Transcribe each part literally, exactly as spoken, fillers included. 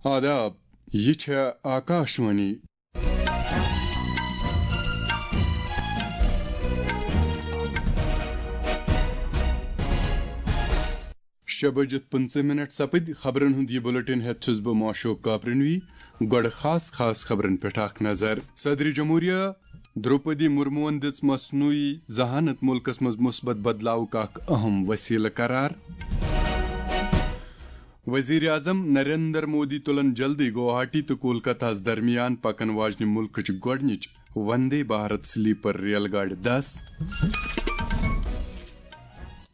آداب، یہِ چھےٚ آکاشوانی۔ شےٚ بٔجِتھ پٕنٛژٕہ مِنٹ سپٕدۍ۔ خبرن ہُنٛد یہِ بُلٹن ہٮ۪تھ چھُس بہٕ معشوق کاپرنوی۔ گۄڈٕ خاص خاص خبرن پٮ۪ٹھ اکھ نظر۔ صدر جمہوریہ درٛوپدی مرموٗہن دِژ مصنوعی ذہانت مُلکس منٛز مثبت بدلاوُک اکھ اہم وسیلہٕ قرار۔ وزیر اعظم نریندر مودی تُلن جلدی گوہاٹی تہٕ کولکتہس درمیان پکن واجنہِ مُلکٕچ گۄڈٕنِچ وندے بھارت سلیپر ریل گاڑِ دس۔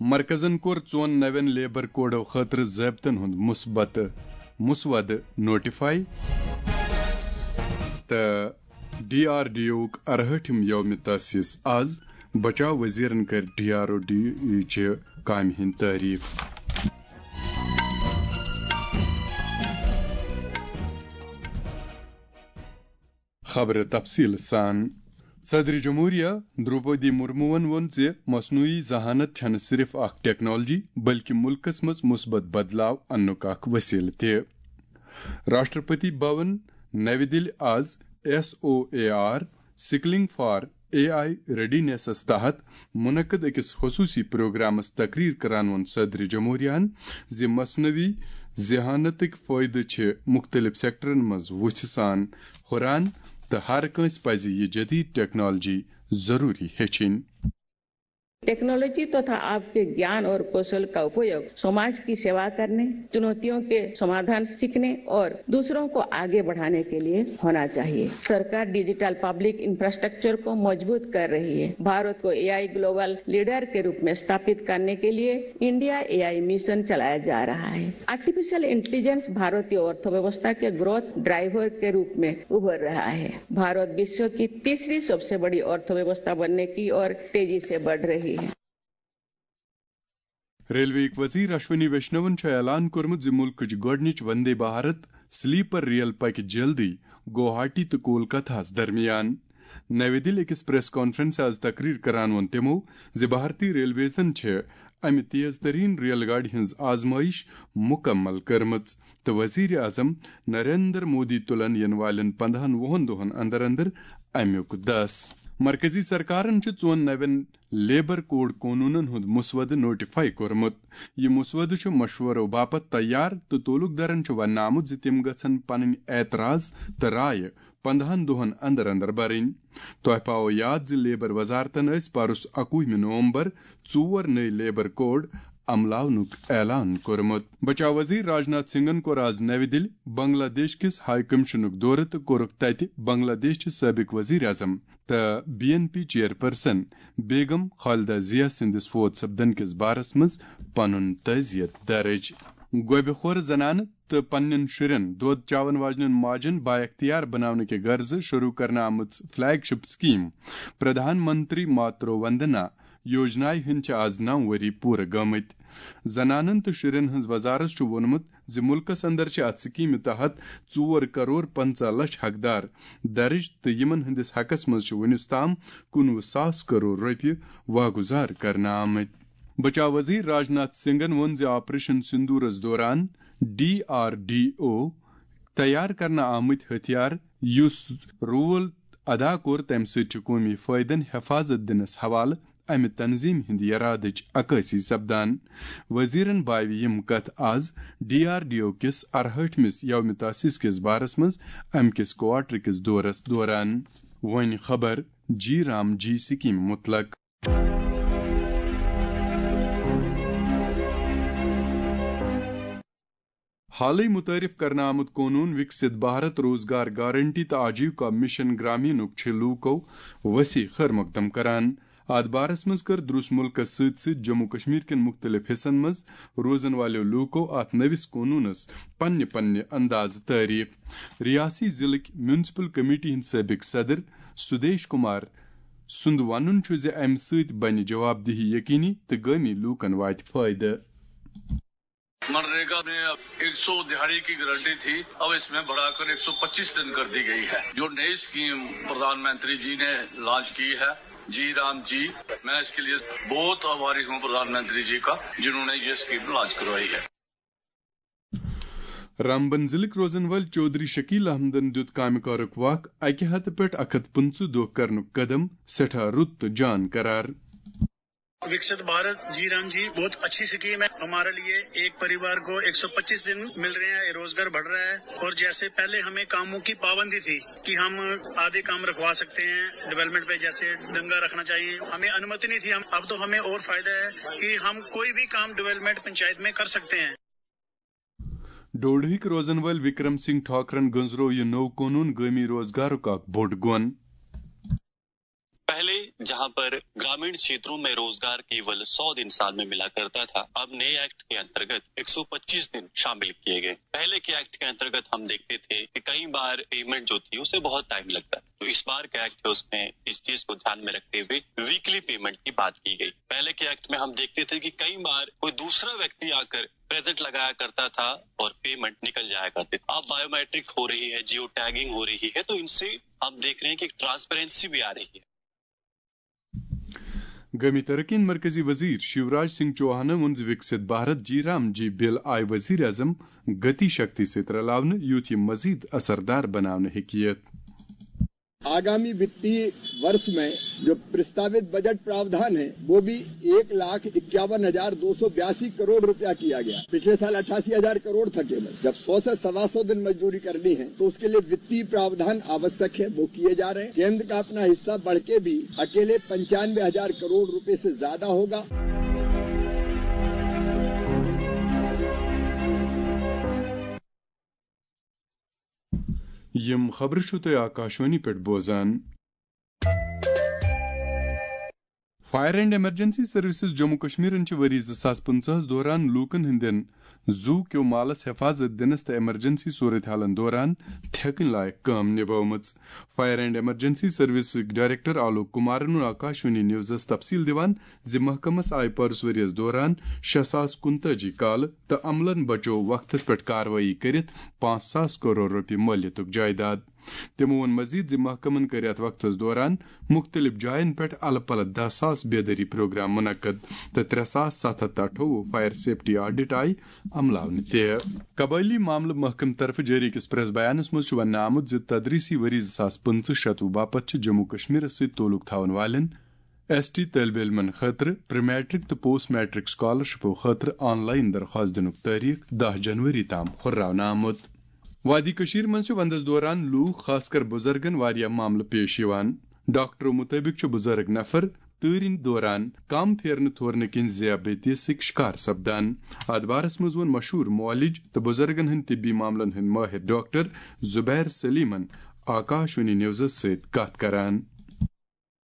مرکزن کوٚر ژۄن نوٮ۪ن لیبر کوڈو خٲطرٕ ضٲبطن ہُنٛد مثبت مسودٕ نوٹیفائی۔ تہٕ ڈی آر ڈی اوُک ارہٲٹھِم یوم تاسیس آز۔ بچاو وزیرن کٔر ڈی آر او ڈی چہِ کامہِ ہٕنٛدۍ تعریف۔ خبرٕ تفصیل سان۔ صدر جمہوریہ درٛوپدی مرموٗہن ووٚن زِ مصنوعی ذہانت چھنہٕ صرف اکھ ٹیکنالوجی، بلکہِ مُلکس منٛز مثبت بدلاو اننُک اکھ وسیلہٕ تہِ۔ راشٹرپتی بھون، نَوِ دِلہِ آز S O A R, suckling for a I ریڈینیسس تحت منعقد أکِس خصوٗصی پروگرامس تقریر کران ووٚن صدر جمہوریہن زِ مصنوعی ذہانتٕکۍ فٲیدٕ چھِ مُختٔلِف سیکٹرن منٛز وُژھِ سان ہُران تہٕ ہر کٲنٛسہِ پزِ یہِ جدید ٹیکنالوجی ضروٗری ہیٚچھِنۍ۔ टेक्नोलोजी तथा आपके ज्ञान और कौशल का उपयोग समाज की सेवा करने, चुनौतियों के समाधान सीखने और दूसरों को आगे बढ़ाने के लिए होना चाहिए। सरकार डिजिटल पब्लिक इंफ्रास्ट्रक्चर को मजबूत कर रही है। भारत को एआई ग्लोबल लीडर के रूप में स्थापित करने के लिए इंडिया एआई मिशन चलाया जा रहा है। आर्टिफिशियल इंटेलिजेंस भारतीय अर्थव्यवस्था के ग्रोथ ड्राइवर के रूप में उभर रहा है। भारत विश्व की तीसरी सबसे बड़ी अर्थव्यवस्था बनने की ओर तेजी से बढ़ रही है। ریلوے یٕکۍ وزیر اشونی ویشنون چھُ اعلان کوٚرمُت زِ مُلکٕچ گۄڈٕنِچ وندے بھارت سلیپر ریل پکہِ جلدی گوہاٹی تہٕ کولکتہس درمیان۔ نَوِ دِلہِ أکِس پریس کانفرنسہِ آز تقریر کران ووٚن تِمو زِ بھارتی ریلویزن چھِ امہِ تیز ترین ریل گاڑِ ہٕنٛز آزمٲیش مُکمل کٔرمٕژ تہٕ وزیر اعظم نریندر مودی تُلن یِنہٕ والٮ۪ن پندہن وُہن دۄہن اندر اندر امیُک دس۔ مرکزی سرکارن چھُ ژۄن نوٮ۪ن لیبر کوڈ قونوٗنن ہُنٛد مسودٕ نوٹیفائی کوٚرمُت۔ یہِ مسودٕ چھُ مشورو باپتھ تیار تہٕ تعلقدارن چھُ وننہٕ آمُت زِ تِم گژھن پنٕنۍ اعتراض تہٕ رایہِ پندہن دۄہن اندر اندر برٕنۍ۔ تۄہہِ پاوو یاد زِ لیبر وزارتن ٲسۍ پرُس اکوُہمہِ نومبر ژور نٔوۍ لیبر کوڈ عملاونُک اعلان کوٚرمُت۔ بچاو وزیر راجناتھ سنگھن کوٚر آز نَوِ دِلہِ بنگلہ دیش کِس ہائی کمشنُک دورٕ تہٕ کوٚرُکھ تَتہِ بنگلہ دیش چہِ سٲبق وزیر اعظم تہٕ بی این پی چیئرپرسن بیگم خالدہ ضیاء سٕنٛدِس فوت سپدن کِس بارس منٛز پنُن تعزیت درج۔ گۄبہِ خور زنانہٕ تہٕ پننٮ۪ن شُرٮ۪ن دۄد چاون واجنٮ۪ن ماجن بااختیار بناونہٕ کہِ غرضہٕ شروع کرنہٕ آمٕژ فلیگ شپ سکیم پردھان منتری ماترو وندنا یوجنایہِ ہٕنٛدۍ چھِ آز نَو ؤری پوٗرٕ گٔمٕتۍ۔ زنانن تہٕ شُرٮ۪ن ہٕنٛز وزارت چھُ ووٚنمُت زِ مُلکس اندر چھِ اتھ سکیمہِ تحت ژور کرور پنژاہ لچھ حقدار درج تہٕ یِمن ہٕنٛدِس حقس منٛز چھِ وُنیُس تام کُنوُہ ساس کرور رۄپیہِ واگُزار کرنہٕ آمٕتۍ۔ بچاو وزیر راجناتھ سنگھن ووٚن زِ آپریشن سندورس دوران ڈی آر ڈی او تیار کرنہٕ آمٕتۍ ہتھیار، یُس رول ادا کوٚر، تَمہِ سۭتۍ چھُ قومی فٲیدَن حفاظت دِنَس حوالہٕ اَمہِ تنظیٖم ہٕنٛدِ یرادٕچ عکٲسی سپدان۔ وزیرَن باوِ یِم کتھ آز ڈی آر ڈی او کِس ارہٲٹھمِس یوم تاسیس کِس بارس منٛز اَمہِ کِس کوارٹر کِس دورس دوران۔ وۄنۍ خبر جی رام جی سکیم متعلق۔ حالٕے متعارف کرنہٕ آمُت قونوٗن وِکسِت بھارت روزگار گارنٹی تہٕ آجیوکا مشن گرامینُک چھِ لوٗکو وسیع خٲر مقدم کران۔ اتھ بارس منٛز کٔر دروس مُلکس سۭتۍ سۭتۍ جموں کشمیر کٮ۪ن مُختٔلِف حصن منٛز روزن والٮ۪و لوٗکو اتھ نٔوِس قونوٗنس پننہِ پننہِ اندازٕ تعریف۔ ریاستی ضلعٕکۍ میونسپل کمیٹی ہٕنٛدۍ سٲبق صدر سدیش کمار سُنٛد ونُن چھُ زِ امہِ سۭتۍ بنہِ جواب دہی یقینی تہٕ گٲمی لوٗکن واتہِ فٲیدٕ۔ मनरेगा में एक सौ दिहाड़ी की गारंटी थी, अब इसमें बढ़ाकर एक सौ पच्चीस दिन कर दी गई है। जो नई स्कीम प्रधानमंत्री जी ने लॉन्च की है, जी राम जी, मैं इसके लिए बहुत आभारी हूँ प्रधानमंत्री जी का, जिन्होंने ये स्कीम लॉन्च करवाई है। رامبن ضلعٕکۍ روزن وٲلۍ چودھری شکیل احمدن دیُت کامہِ کارُک وق اَکہِ ہتہٕ پٮ۪ٹھ اکھ ہتھ پٕنٛژٕہ دۄہ کرنُک قدم سٮ۪ٹھاہ رُت تہٕ جان قرار۔ विकसित भारत जी राम जी बहुत अच्छी स्कीम है। हमारे लिए एक परिवार को एक सौ पच्चीस दिन मिल रहे हैं, रोजगार बढ़ रहा है। और जैसे पहले हमें कामों की पाबंदी थी कि हम आधे काम रखवा सकते हैं डेवलपमेंट पे, जैसे डंगा रखना चाहिए, हमें अनुमति नहीं थी। हम अब तो हमें और फायदा है कि हम कोई भी काम डेवलपमेंट पंचायत में कर सकते हैं। ڈوڈہٕکۍ روزن وٲلۍ وکرم سنگھ ٹھاکرن گٔنزرو یہِ نوٚو قونوٗن گٲمی روزگارُک اکھ بوٚڑ گۄن۔ पहले जहां पर ग्रामीण क्षेत्रों में रोजगार केवल सौ दिन साल में मिला करता था, अब नए एक्ट के अंतर्गत एक सौ पच्चीस दिन शामिल किए गए। पहले के एक्ट के अंतर्गत हम देखते थे कि कई बार पेमेंट जो थी उसे बहुत टाइम लगता। तो इस बार का एक्ट है उसमें इस चीज को ध्यान में रखते हुए वीकली पेमेंट की बात की गई। पहले के एक्ट में हम देखते थे कि कई बार कोई दूसरा व्यक्ति आकर प्रेजेंट लगाया करता था और पेमेंट निकल जाया करती थी। अब बायोमेट्रिक हो रही है, जियो टैगिंग हो रही है, तो इनसे हम देख रहे हैं कि ट्रांसपेरेंसी भी आ रही है। گٲمی ترقی ہٕنٛدۍ مرکزی وزیر شیوراج سنگھ چوہانن ووٚن زِ وکسِت بھارت جی رام جی بل آیہِ وزیر اعظم گتی شکتی سۭتۍ رلاونہٕ، یُتھ یہِ مزید اثردار بناونہٕ ہیٚکہِ یِتھ۔ आगामी वित्तीय वर्ष में जो प्रस्तावित बजट प्रावधान है, वो भी एक लाख इक्यावन हजार दो सौ बयासी करोड़ रुपया किया गया। पिछले साल अट्ठासी हजार करोड़ था केवल। जब सौ से सवा सौ दिन मजदूरी करनी है, तो उसके लिए वित्तीय प्रावधान आवश्यक है, वो किए जा रहे हैं। केंद्र का अपना हिस्सा बढ़ के भी अकेले पंचानवे हजार करोड़ रुपए से ज्यादा होगा। یِم خبرٕ چھِو تُہۍ آکاشوانی پٮ۪ٹھ بوزان۔ Fire and emergency services Jammu کشمیرن چھِ ؤری زٕ ساس پٕنٛژٕہس دوران لوٗکن ہٕنٛدٮ۪ن زُو کیو مالس حفاظت دِنس تہٕ ایمرجنسی صورتحالن دوران تھٮ۪کٕنۍ لایق کٲم نِبٲومٕژ۔ Fire and emergency services director Alok کمارن ووٚن آکاشوانی نیوزس تفصیل دِوان زِ محکمس آیہِ پٔرس ؤریَس دوران شےٚ ساس کُنتٲجی کالہٕ تہٕ عملن بچوو وقتس پٮ۪ٹھ کاروٲیی کٔرِتھ پانٛژھ ساس کرور رۄپیہِ مٲلیتُک جائیداد۔ تِمو ووٚن مزید زِ محکمن کٔرۍ یتھ وقتس دوران مُختٔلِف جاین پٮ۪ٹھ الہٕ پلہٕ دَہ ساس بیدٲری پروگرام منعقد تہٕ ترٛےٚ ساس ستھ ہتھ تہٕ اَٹھووُہ فائر سیفٹی آڈٹ آیہِ عملاونہٕ تہِ۔ قبٲئلی معاملہٕ محکمہٕ طرفہٕ جٲری أکِس پریس بیانس منٛز چھُ وننہٕ آمُت زِ تدریسی ؤری زٕ ساس پٕنٛژٕہ شتوُہ باپتھ چھِ جموں کشمیرس سۭتۍ تعلق تھاون والٮ۪ن ایس ٹی طٲلبہِ علمن خٲطرٕ پری میٹرک تہٕ پوسٹ میٹرک سکالرشپو خٲطرٕ آن لائن درخواست دِنُک تٲریخ دَہ جنوری تام ہُرراونہٕ آمُت۔ وادی کٔشیٖر منٛز چھِ ونٛدس دوران لوٗکھ، خاص کر بُزرگن، واریاہ معاملہٕ پیش یِوان۔ ڈاکٹرو مُطٲبِق چھِ بُزرگ نفر تۭرِ دوران کم پھیرنہٕ تھورنہٕ کِنۍ ذیابیطیسٕکۍ شکار سپدان۔ اتھ بارس منٛز ووٚن مشہوٗر معالج تہٕ بُزرگن ہٕنٛدۍ طبی معاملن ہٕنٛدۍ مٲہِر ڈاکٹر زبیر سلیمن آکاشوانی نیوزس سۭتۍ کتھ کران۔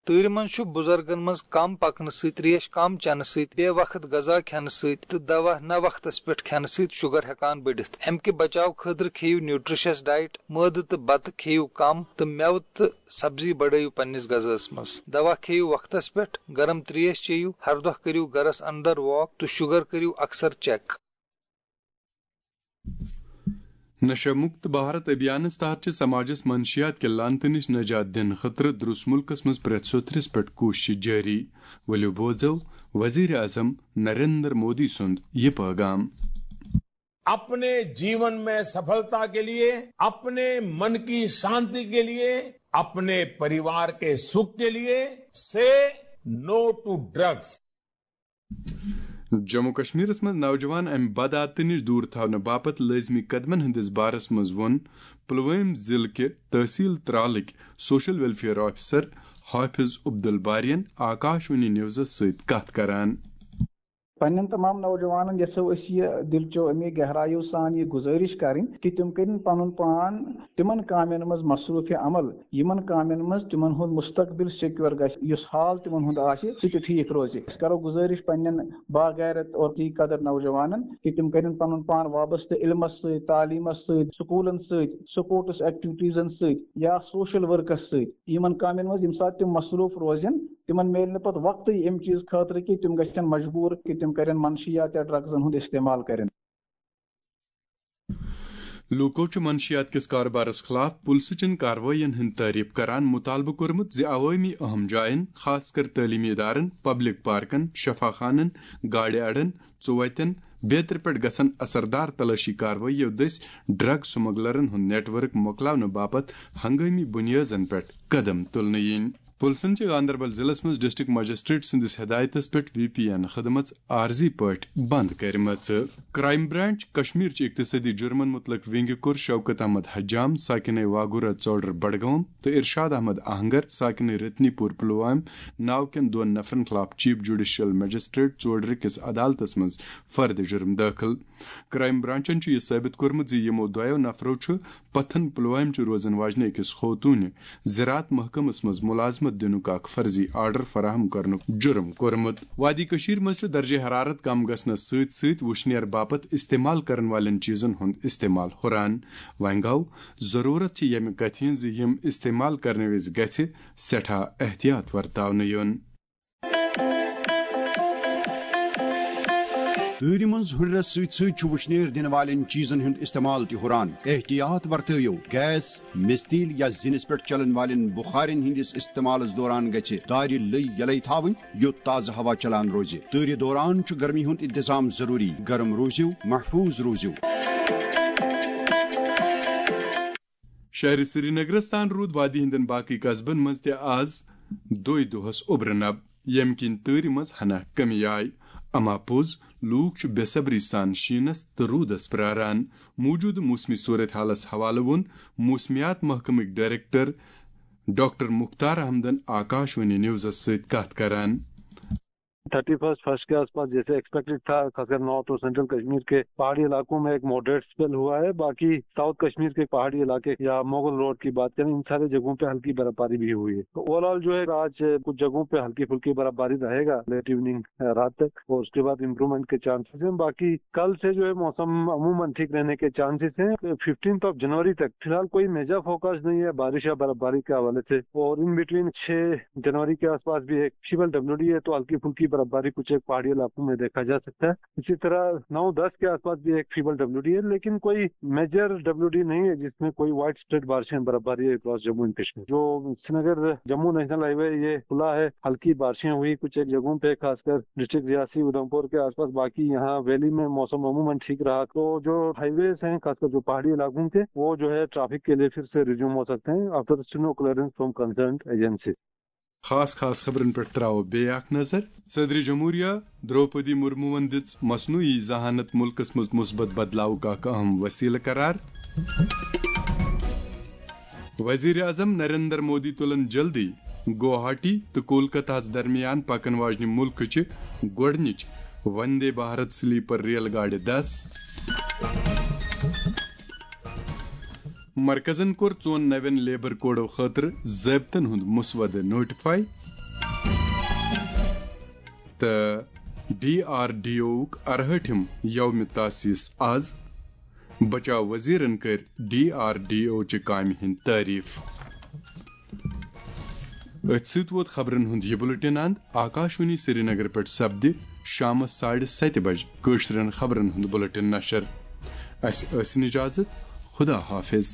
تۭرِ منٛز چھُ بُزرگن منٛز کم پکنہٕ سۭتۍ، تریش کم چٮ۪نہٕ سۭتۍ، بے وقت غذا کھٮ۪نہٕ سۭتۍ تہٕ دوا نہ وقتس پٮ۪ٹھ کھٮ۪نہٕ سۭتۍ شُگر ہٮ۪کان بٔڑِتھ۔ امہِ کہِ بچاو خٲطرٕ کھیٚیِو نیوٹریشس ڈایٹ، مٲدٕ تہٕ بتہٕ کھیٚیِو کم تہٕ مٮ۪وٕ تہٕ سبزی بڑٲیِو پننِس غذاہس منٛز۔ دوا کھیٚیِو وقتس پٮ۪ٹھ، گرم تریش چیٚیِو، ہر دۄہ کٔرِو گرس اندر واک تہٕ شُگر کٔرِو اکثر چیک۔ نشہ مکت بھارت ابھیانس تحت چھِ سماجس منشیات کہِ لعنتہٕ نِش نجات دِنہٕ خٲطرٕ درُس مُلکس منٛز پرٛٮ۪تھ سوٚتھرِس پٮ۪ٹھ کوٗششہٕ جٲری۔ ؤلِو بوزو وزیر اعظم نریندر مودی سُنٛد یہِ پٲغام۔ अपने जीवन में सफलता के लिए, अपने मन की शांति के लिए, अपने परिवार के सुख के लिए, say no to drugs. Jammu کشمیرس منٛز نوجوان امہِ بدعاتہٕ نِش دوٗر تھاونہٕ باپتھ لٲزمی قدمن ہٕنٛدِس بارس منٛز ووٚن پلوٲمۍ ضلعہٕ کہِ تحصیل ترالٕکۍ سوشل ویلفیئر آفیسر حافظ عبدالبارین آکاشوانی نیوزس سۭتۍ کتھ کران۔ پننٮ۪ن تمام نوجوانن یژھو أسۍ یہِ دِلچو امی گہرایو سان یہِ گُزٲرِش کرٕنۍ کہِ تِم کٔرِن پنُن پان تِمن کامٮ۪ن منٛز مصروٗفِ عمل، یِمن کامٮ۪ن منٛز تِمن ہُنٛد مستقبل سیکیور گژھِ، یُس حال تِمن ہُنٛد آسہِ، سُہ تہِ ٹھیٖک روزِ۔ أسۍ کرو گُزٲرِش پننٮ۪ن باغیرت اور عقیٖدت نوجوانن کہِ تِم کٔرِن پنُن پان وابستہٕ علمس سۭتۍ، تعلیٖمس سۭتۍ، سکوٗلن سۭتۍ، سپورٹس ایکٹیویٹیزن سۭتۍ یا سوشل ورکس سۭتۍ۔ یِمن کامٮ۪ن منٛز ییٚمہِ ساتہٕ تِم مصروٗف روزن، تِمن میلہِ نہٕ پتہٕ وقتٕے اَمہِ چیٖز خٲطرٕ کہِ تِم گژھن مجبوٗر کہِ تِم کرن منشیات یا ڈرگزن ہُنٛد استعمال کرن۔ لوٗکو چھُ منشیات کِس کارٕبارس خٕلاف پُلسہٕ چٮ۪ن کاروٲیین ہٕنٛز تعریف کران مُطالبہٕ کوٚرمُت زِ عوٲمی اہم جاین، خاص کر تعلیمی ادارن، پبلک پارکن، شفا خانن، گاڑِ اڈن، ژوتن، بیترِ پٮ۪ٹھ گژھن اثردار تلٲشی کاروٲییو دٔسۍ ڈرگ سمگلرن ہُنٛد نیٹ ورک مۄکلاونہٕ باپتھ ہنگٲمی بُنیٲزن پٮ۪ٹھ قدم تُلنہٕ یِنۍ۔ پُلسن چھِ گاندربل ضلعس منٛز ڈسٹرکٹ مجسٹریٹ سٕنٛدِس ہدایتس پٮ۪ٹھ وی پی این خدمژ عارضی پٲٹھۍ بنٛد کٔرمٕژ۔ کرائم برانچ کشمیر چہِ اقتصٲدی جُرمن مُتعلق ونگہِ کوٚر شوکت احمد حجام، ساکنہ واگورہ ژوڈر بڈگام، تہٕ ارشاد احمد آہنگر، ساکنہ رتنی پور پلوامہ، ناو کٮ۪ن دۄن نفرن خلاف چیف جوڈیشل مجسٹریٹ ژوڈرِ کِس عدالتس منٛز فرد جُرم دٲخل۔ کرائم برانچن چھُ یہِ ثٲبت کوٚرمُت زِ یِمو دۄیو نفرو چھُ پتھن پلوامہِ چہِ روزن واجنہِ أکِس خوتوٗنہِ زراعت محکمس منٛز ملازمت دِنُک اکھ فرضی آرڈر فراہم کرنُک جُرم کوٚرمُت۔ وادی کٔشیٖر منٛز چھُ درجہ حرارت کم گژھنس سۭتۍ سۭتۍ وُشنیر باپتھ استعمال کرن والٮ۪ن چیٖزن ہُنٛد استعمال ہُران۔ وۄنۍ گوٚو، ضروٗرت چھِ ییٚمہِ کتھِ ہٕنٛز زِ یِم استعمال کرنہٕ وِزِ گژھِ سٮ۪ٹھاہ احتیاط ورتاونہٕ یُن۔ تۭرِ منٛز ہُرٮ۪رس سۭتۍ سۭتۍ چھُ وُشنیر دِنہٕ والٮ۪ن چیٖزن ہُنٛد استعمال تہِ ہُران۔ احتیاط ورتٲیِو۔ گیس، مِستیٖل یا زِنِس پٮ۪ٹھ چلن والٮ۪ن بُخارٮ۪ن ہٕنٛدِس استعمالس دوران گژھِ دارِ لٔۍ یلے تھاوٕنۍ، یوٚت تازٕ ہوا چلان روزِ۔ تۭرِ دوران چھُ گرمی ہُنٛد انتظام ضروٗری۔ گرم روٗزِو، محفوٗظ روٗزِو۔ شہر سرینگرس تام روٗد وادی ہٕنٛدٮ۪ن باقٕے قصبن منٛز تہِ آز دۄے دۄہس اوٚبرٕ نب، ییٚمہِ کِنۍ تۭرِ منٛز ہنا کمی آیہِ۔ اما پوٚز، لوٗکھ چھِ بے صبری سان شیٖنس تہٕ روٗدس پراران۔ موٗجوٗدٕ موسمی صورت حالس حوالہٕ ووٚن موسمیات محکمٕکۍ ڈائریکٹر ڈاکٹر مختار احمدن آکاش وانی نیوزس سۭتۍ کتھ کران۔ تھرٹی فرسٹ فرسٹ کے آسپاس جیسے ایکسپیکٹڈ تھا، خاص کر نارتھ اور سینٹرل کشمیر کے پہاڑی علاقوں میں ایک ماڈریٹ اسپیل ہوا ہے، باقی ساؤتھ کشمیر کے پہاڑی علاقے یا مغل روڈ کی بات کریں، ان سارے جگہوں پہ ہلکی برف باری بھی ہوئی ہے۔ تو اوور آل جو ہے، آج کچھ جگہوں پہ ہلکی پھلکی برف باری رہے گا لیٹ ایوننگ رات تک، اور اس کے بعد امپروومنٹ کے چانسز ہیں۔ باقی کل سے جو ہے، موسم عموماً ٹھیک رہنے کے چانسز ہیں۔ ففٹینتھ آف جنوری تک فی الحال کوئی میجر فوکس نہیں ہے بارش یا برف باری کے حوالے سے، اور ان بٹوین چھ جنوری کے آس پاس بھی ایک فیبل ڈبلیو ڈی ہے، تو ہلکی پھلکی برف باری کچھ ایک پہاڑی علاقوں میں دیکھا جا سکتا ہے۔ اسی طرح نو دس کے آس پاس بھی ایک فیبل ڈبلیو ڈی ہے، لیکن کوئی میجر ڈبلیو ڈی نہیں ہے جس میں کوئی وائڈ اسپریڈ بارشیں برف باری ہے اکراس جموں اینڈ کشمیر۔ جو سرینگر جموں نیشنل ہائی وے، یہ کھلا ہے، ہلکی بارشیں ہوئی کچھ ایک جگہوں پہ، خاص کر ڈسٹرکٹ ریاسی ادھمپور کے آس پاس۔ باقی یہاں ویلی میں موسم عموماً ٹھیک رہا، تو جو ہائی ویز ہیں، خاص کر جو پہاڑی علاقوں کے، وہ جو ہے ٹریفک کے لیے پھر سے ریزیوم ہو سکتے ہیں آفٹر سنو کلیئرنس فرام کنسرنڈ ایجنسی۔ خاص خاص خبرن پٮ۪ٹھ تراوو بیٚیہِ اکھ نظر۔ صدر جمہوریہ درٛوپدی مرموٗہن دِژ مصنوعی ذہانت مُلکس منٛز مثبت بدلاوُک اکھ اہم وسیلہٕ قرار۔ وزیر اعظم نریندر مودی تُلن جلدی گوہاٹی تہٕ کولکتہ ہَس درمیان پکن واجنہِ مُلکٕچہِ گۄڈٕنِچ وندے بھارت سلیپر ریل گاڑِ دس۔ مرکزن کوٚر ژۄن نوٮ۪ن لیبر کوڈو خٲطرٕ ضٲبطن ہُنٛد مسودٕ نوٹیفائی۔ تہٕ ڈی آر ڈی اوُک ارہٲٹھِم یوم تاسیس آز۔ بچاو وزیرن کٔر ڈی آر ڈی او چہِ کامہِ ہٕنٛدۍ تعریف۔ أتھۍ سۭتۍ ووت خبرن ہُنٛد یہِ بُلٹن اند۔ آکاشوانی سرینگر پٮ۪ٹھ سپدِ شامس ساڑِ ستہِ بجہِ کٲشرٮ۪ن خبرن ہُنٛد بُلٹن نشر۔ اسہِ ٲسِن اجازت۔ خدا حافظ۔